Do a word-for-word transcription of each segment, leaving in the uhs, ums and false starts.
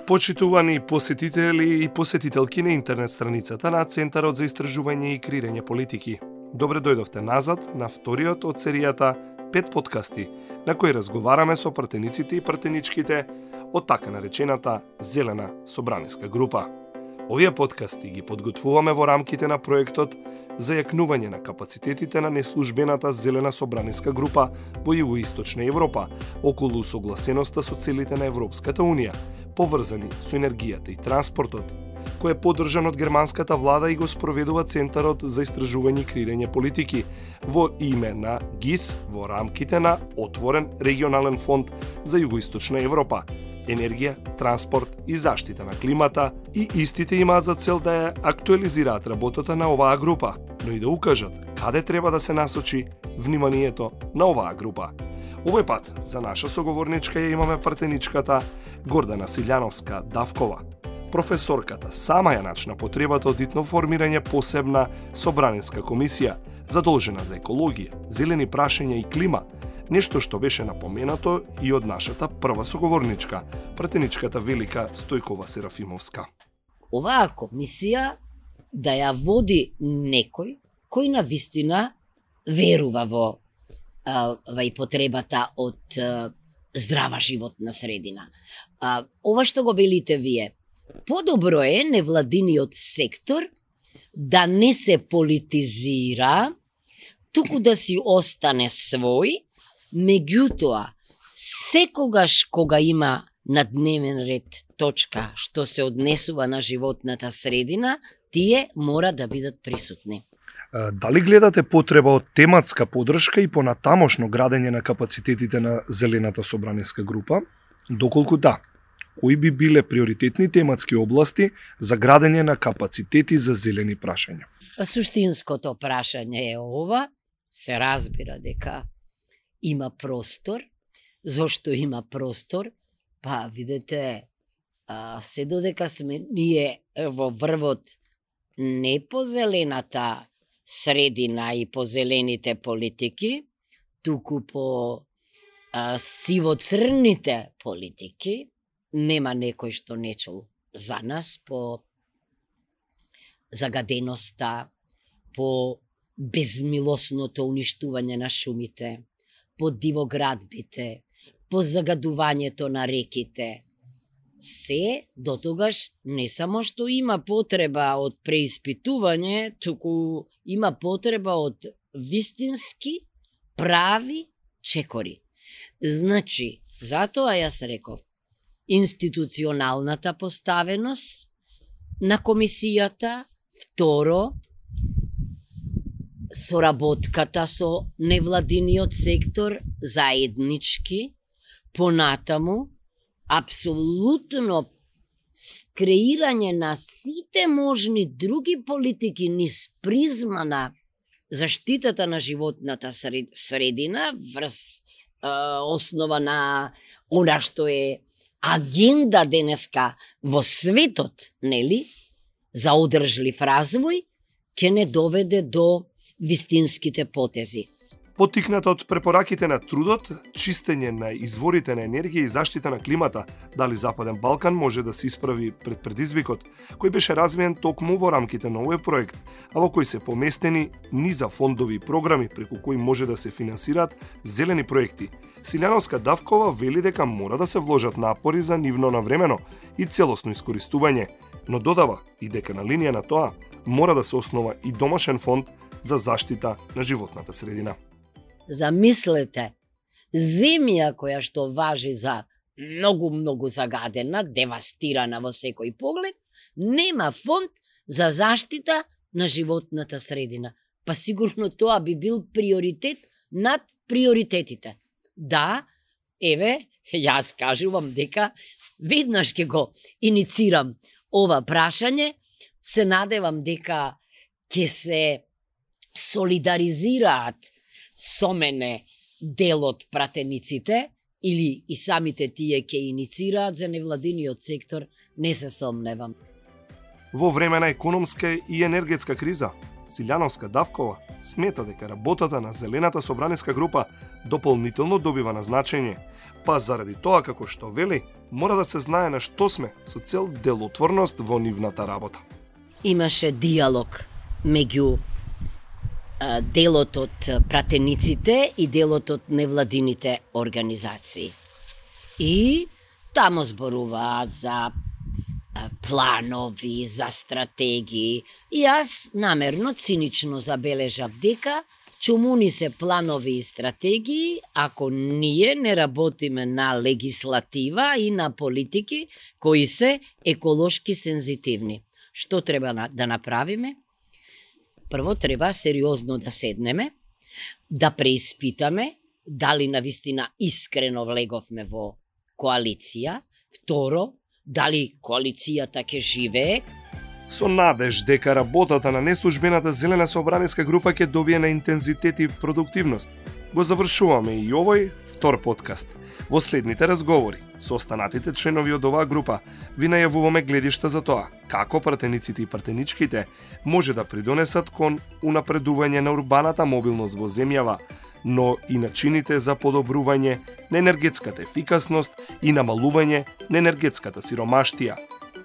Почитувани посетители и посетителки на интернет страницата на Центарот за истражување и креирање политики. Добре дојдовте назад на вториот од серијата пет подкасти, на кои разговараме со пратениците и пратеничките од така наречената Зелена собраниска група. Овие подкасти ги подготвуваме во рамките на проектот за јакнување на капацитетите на неслужбената Зелена собраниска група во Југоисточна Европа околу согласеноста со целите на Европската Унија, поврзани со енергијата и транспортот, кој е поддржан од германската влада и го спроведува Центарот за истражување и креирање политики во име на ГИС во рамките на Отворен регионален фонд за Југоисточна Европа, енергија, транспорт и заштита на климата, и истите имаат за цел да ја актуализираат работата на оваа група, но и да укажат каде треба да се насочи вниманието на оваа група. Овој пат за наша соговорничка ја имаме пратеничката Гордана Силјановска-Давкова. Професорката сама ја начна потребата од итно формирање посебна собранинска комисија задолжена за екологија, зелени прашања и клима, нешто што беше напоменато и од нашата прва соговорничка, пратеничката Велика Стојкова Серафимовска. Оваа комисија да ја води некој кој навистина верува во а, во и потребата од а, здрава животна средина. А, ова што го велите вие, подобро е невладиниот сектор да не се политизира, туку да си остане свој. Меѓутоа, секогаш кога има на дневен ред точка што се однесува на животната средина, тие мора да бидат присутни. Дали гледате потреба од тематска поддршка и понатамошно градење на капацитетите на Зелената собраниска група? Доколку да, кои би биле приоритетни тематски области за градење на капацитети за зелени прашања? Суштинското прашање е ова. Се разбира дека има простор. Зошто има простор? Па, видете, а, се додека сме ние во врвот не по зелената средина и по зелените политики, туку по а, сиво-црните политики, нема некој што не чул за нас по загаденоста, по безмилосното уништување на шумите, по дивоградбите, по загадувањето на реките. Се дотогаш не само што има потреба од преиспитување, туку има потреба од вистински прави чекори. Значи, затоа јас реков, институционалната поставеност на комисијата, второ, соработката со невладиниот сектор заеднички, понатаму, апсолутно креирање на сите можни други политики низ призма на заштитата на животната средина врз е, основа на она што е агенда денеска во светот, нели, за одржлив развој, ќе не доведе до вистинските потези. Поттикнат од препораките на трудот, чистење на изворите на енергија и заштита на климата, дали Западен Балкан може да се исправи пред предизвикот, кој беше развиен токму во рамките на овој проект, а во кој се поместени низа фондови и програми преку кои може да се финансираат зелени проекти. Силјановска-Давкова вели дека мора да се вложат напори за нивно навремено и целосно искористување, но додава и дека на линија на тоа мора да се основа и домашен фонд за заштита на животната средина. Замислете, земја која што важи за многу-многу загадена, девастирана во секој поглед, нема фонд за заштита на животната средина. Па сигурно тоа би бил приоритет над приоритетите. Да, еве, јас кажувам дека веднаш ќе го иницирам ова прашање, се надевам дека ќе се солидаризираат со мене дел од пратениците или и самите тие ќе иницираат за невладиниот сектор, не се сомневам. Во време на економска и енергетска криза, Силјановска-Давкова смета дека работата на Зелената собраниска група дополнително добива на значење, па заради тоа како што вели, мора да се знае на што сме со цел делотворност во нивната работа. Имаше диалог меѓу а, делот од пратениците и делот од невладините организации. И тамо зборуваат за планови, за стратегии. И јас намерно, цинично забележав дека чумуни се планови и стратегии ако ние не работиме на легислатива и на политики кои се еколошки сензитивни. Што треба да направиме? Прво треба сериозно да седнеме, да преиспитаме дали навистина искрено влеговме во коалиција. Второ, дали коалицијата ќе живее. Со надеж дека работата на неслужбената Зелена собраниска група ќе добие на интензитет и продуктивност, го завршуваме и овој втор подкаст. Во следните разговори со останатите членови од оваа група ви најавуваме гледишта за тоа како пратениците и пратеничките може да придонесат кон унапредување на урбаната мобилност во земјава, но и начините за подобрување на енергетската ефикасност и намалување на енергетската сиромаштија.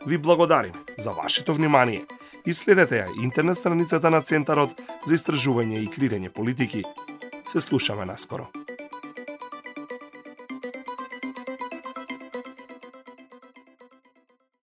Ви благодарим за вашето внимание и следете ја интернет страницата на Центарот за истражување и креирање политики. Се слушаме наскоро.